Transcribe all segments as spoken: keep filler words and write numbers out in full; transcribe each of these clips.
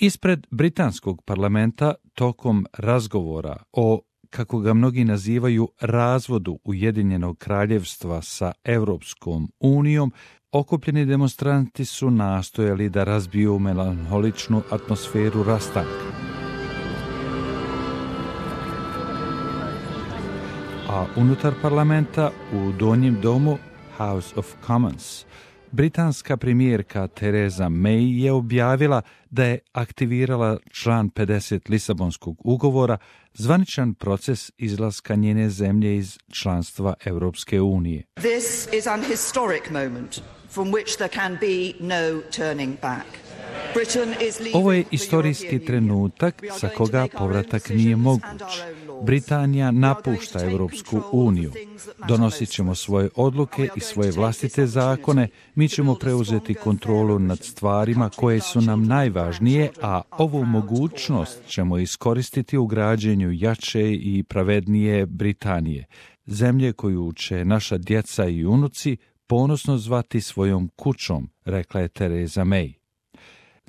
Ispred britanskog parlamenta tokom razgovora o, kako ga mnogi nazivaju, razvodu Ujedinjenog kraljevstva sa Europskom unijom, okupljeni demonstranti su nastojali da razbiju melanholičnu atmosferu rastanka. A unutar parlamenta u donjem domu House of Commons britanska premijerka Theresa May je objavila da je aktivirala član pedeset Lisabonskog ugovora, zvaničan proces izlaska njene zemlje iz članstva Europske unije. This is an historic moment from which there can be no turning back. Ovo je istorijski trenutak sa koga povratak nije moguć. Britanija napušta Europsku uniju. Donosit ćemo svoje odluke i svoje vlastite zakone, mi ćemo preuzeti kontrolu nad stvarima koje su nam najvažnije, a ovu mogućnost ćemo iskoristiti u građenju jače i pravednije Britanije, zemlje koju će naša djeca i unuci ponosno zvati svojom kućom, rekla je Theresa May.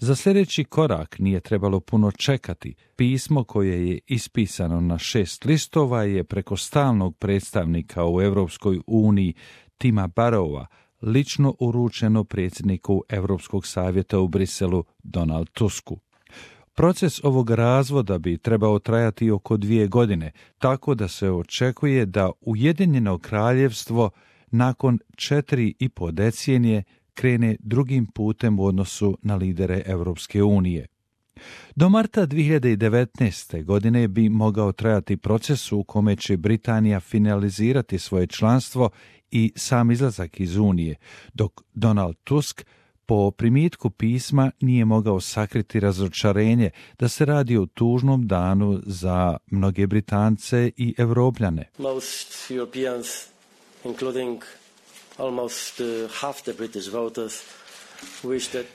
Za sljedeći korak nije trebalo puno čekati. Pismo koje je ispisano na šest listova je preko stalnog predstavnika u Europskoj uniji Tima Barrowa lično uručeno predsjedniku Europskog savjeta u Briselu Donald Tusku. Proces ovog razvoda bi trebao trajati oko dvije godine, tako da se očekuje da Ujedinjeno kraljevstvo nakon četiri i po decenije krene drugim putem u odnosu na lidere Europske unije. Do marta dvije hiljade devetnaeste. godine bi mogao trajati proces u kome će Britanija finalizirati svoje članstvo i sam izlazak iz Unije, dok Donald Tusk po primitku pisma nije mogao sakriti razočarenje da se radi o tužnom danu za mnoge Britance i Evropljane. Most Europeans, including almost half the British voters,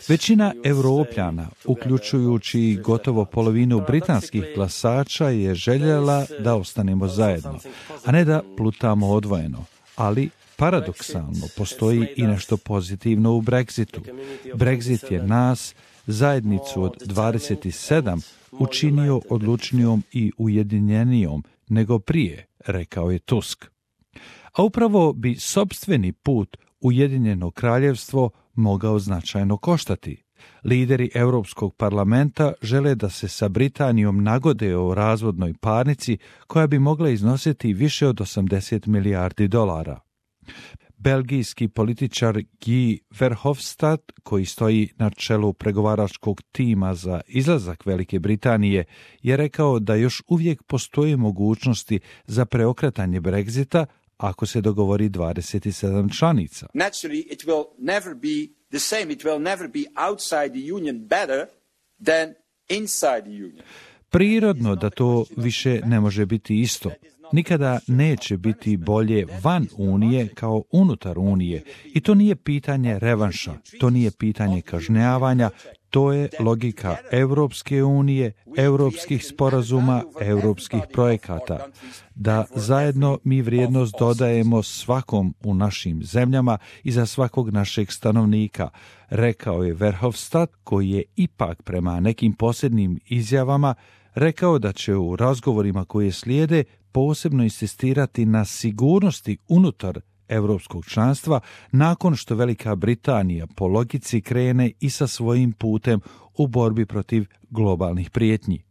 Većina Evropljana, uključujući i gotovo polovinu britanskih glasača, je željela da ostanemo zajedno, a ne da plutamo odvojeno. Ali, paradoksalno, postoji i nešto pozitivno u Brexitu. Brexit je nas, zajednicu od dvadeset sedam, učinio odlučnijom i ujedinjenijom nego prije, rekao je Tusk. A upravo bi sopstveni put Ujedinjeno kraljevstvo mogao značajno koštati. Lideri Europskog parlamenta žele da se sa Britanijom nagode o razvodnoj parnici koja bi mogla iznositi više od osamdeset milijardi dolara. Belgijski političar Guy Verhofstadt, koji stoji na čelu pregovaračkog tima za izlazak Velike Britanije, je rekao da još uvijek postoje mogućnosti za preokretanje Brexita ako se dogovori dvadeset sedam članica. Naturally, it will never be the same. It will never be outside the union better than inside the union. Prirodno da to više ne može biti isto. Nikada neće biti bolje van Unije kao unutar Unije. I to nije pitanje revanša, to nije pitanje kažnjavanja, to je logika Europske unije, europskih sporazuma, europskih projekata. Da zajedno mi vrijednost dodajemo svakom u našim zemljama i za svakog našeg stanovnika, rekao je Verhofstadt, koji je ipak prema nekim posljednjim izjavama rekao da će u razgovorima koje slijede posebno insistirati na sigurnosti unutar europskog članstva nakon što Velika Britanija po logici krene i sa svojim putem u borbi protiv globalnih prijetnji.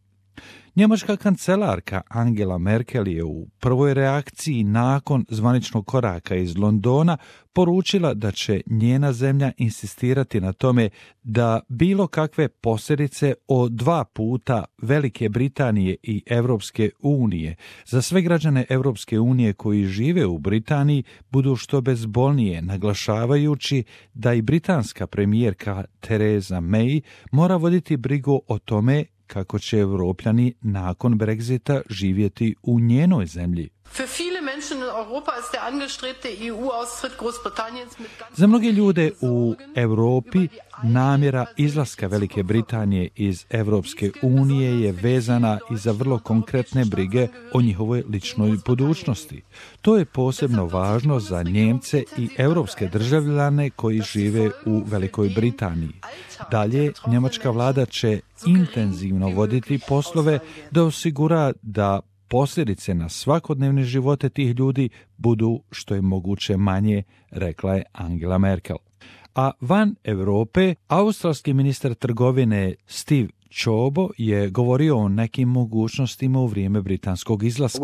Njemačka kancelarka Angela Merkel je u prvoj reakciji nakon zvaničnog koraka iz Londona poručila da će njena zemlja insistirati na tome da bilo kakve posljedice o dva puta Velike Britanije i Europske unije za sve građane Europske unije koji žive u Britaniji budu što bezbolnije, naglašavajući da i britanska premijerka Theresa May mora voditi brigu o tome kako će Evropljani nakon Brexita živjeti u njenoj zemlji. Für viele Za mnoge ljude u Europi namjera izlaska Velike Britanije iz Europske unije je vezana i za vrlo konkretne brige o njihovoj ličnoj budućnosti. To je posebno važno za Njemce i europske državljane koji žive u Velikoj Britaniji. Dalje, njemačka vlada će intenzivno voditi poslove da osigura da posljedice na svakodnevne živote tih ljudi budu što je moguće manje, rekla je Angela Merkel. A van Europe, australski ministar trgovine Steve Ciobo je govorio o nekim mogućnostima u vrijeme britanskog izlaska.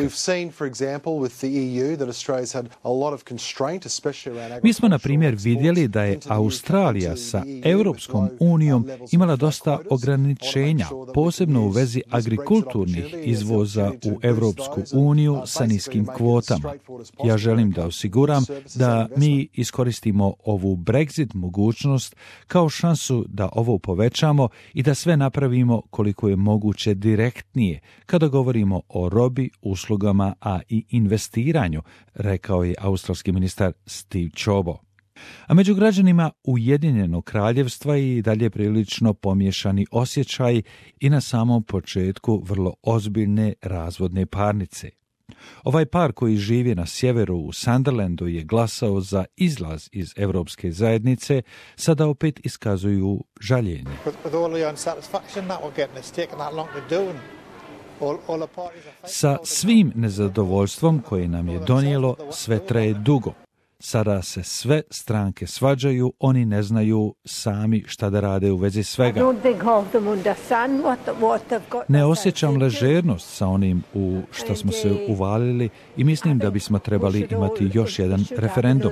Mi smo, na primjer, vidjeli da je Australija sa Europskom unijom imala dosta ograničenja, posebno u vezi agrikulturnih izvoza u Europsku uniju sa niskim kvotama. Ja želim da osiguram da mi iskoristimo ovu Brexit mogućnost kao šansu da ovo povećamo i da sve napravimo koliko je moguće direktnije kada govorimo o robi, uslugama, a i investiranju, rekao je australski ministar Steve Ciobo. A među građanima Ujedinjenog kraljevstva i dalje prilično pomiješani osjećaj i na samom početku vrlo ozbiljne razvodne parnice. Ovaj par koji živi na sjeveru u Sunderlandu je glasao za izlaz iz Europske zajednice, sada opet iskazuju žaljenje. Sa svim nezadovoljstvom koje nam je donijelo, sve traje dugo. Sada se sve stranke svađaju, oni ne znaju sami šta da rade u vezi svega. Ne osjećam ležernost sa onim u što smo se uvalili i mislim da bismo trebali imati još jedan referendum.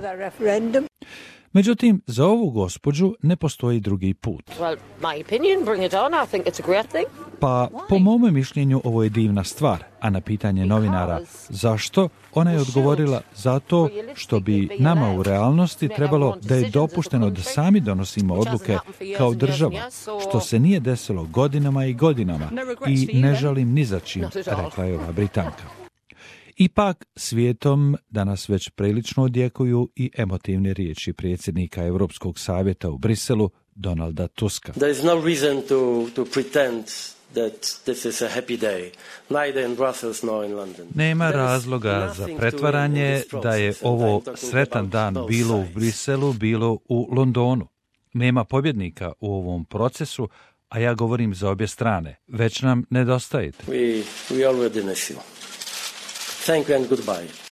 Međutim, za ovu gospođu ne postoji drugi put. Pa, po mome mišljenju, ovo je divna stvar, a na pitanje novinara zašto, ona je odgovorila zato što bi nama u realnosti trebalo da je dopušteno da sami donosimo odluke kao država, što se nije desilo godinama i godinama i ne žalim ni za čim, rekla je ova Britanka. Ipak, svijetom danas već prilično odjekuju i emotivne riječi predsjednika Europskog savjeta u Briselu, Donalda Tuska. There is no reason to, to pretend that this is a happy day, neither in Brussels nor in London. Nema razloga za pretvaranje da je ovo sretan dan bilo u Briselu, bilo u Londonu. Nema pobjednika u ovom procesu, a ja govorim za obje strane. Već nam nedostajete. We, we already miss you. Thank you and goodbye.